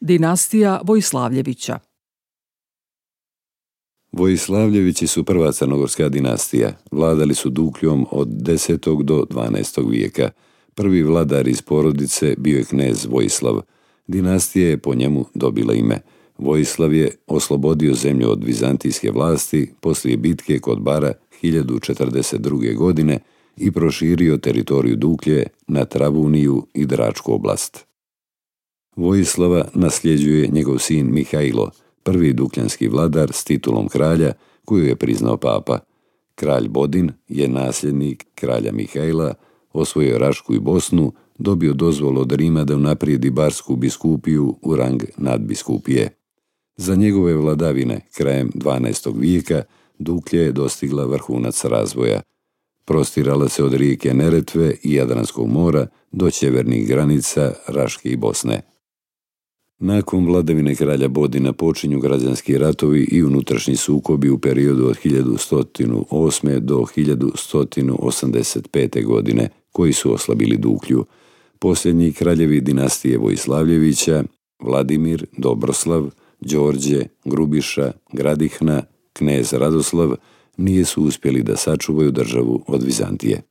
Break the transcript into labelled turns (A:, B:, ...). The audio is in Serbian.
A: Dinastija Vojislavljevića.
B: Vojislavljevići su prva crnogorska dinastija. Vladali su Dukljom od 10. do 12. vijeka. Prvi vladar iz porodice bio je knez Vojislav. Dinastija je po njemu dobila ime. Vojislav je oslobodio zemlju od vizantijske vlasti poslije bitke kod Bara 1042. godine i proširio teritoriju Duklje na Travuniju i Dračku oblast. Vojislava nasljeđuje njegov sin Mihajlo, prvi dukljanski vladar s titulom kralja koju je priznao papa. Kralj Bodin je nasljednik kralja Mihajla, osvojio Rašku i Bosnu, dobio dozvolu od Rima da unaprijedi barsku biskupiju u rang nadbiskupije. Za njegove vladavine, krajem 12. vijeka, Duklja je dostigla vrhunac razvoja. Prostirala se od rijeke Neretve i Jadranskog mora do sjevernih granica Raške i Bosne. Nakon vladavine kralja Bodina počinju građanski ratovi i unutrašnji sukobi u periodu od 1108. do 1185. godine, koji su oslabili Duklju. Posljednji kraljevi dinastije Vojislavljevića, Vladimir, Dobroslav, Đorđe, Grubiša, Gradihna, knez Radoslav, nisu uspjeli da sačuvaju državu od Vizantije.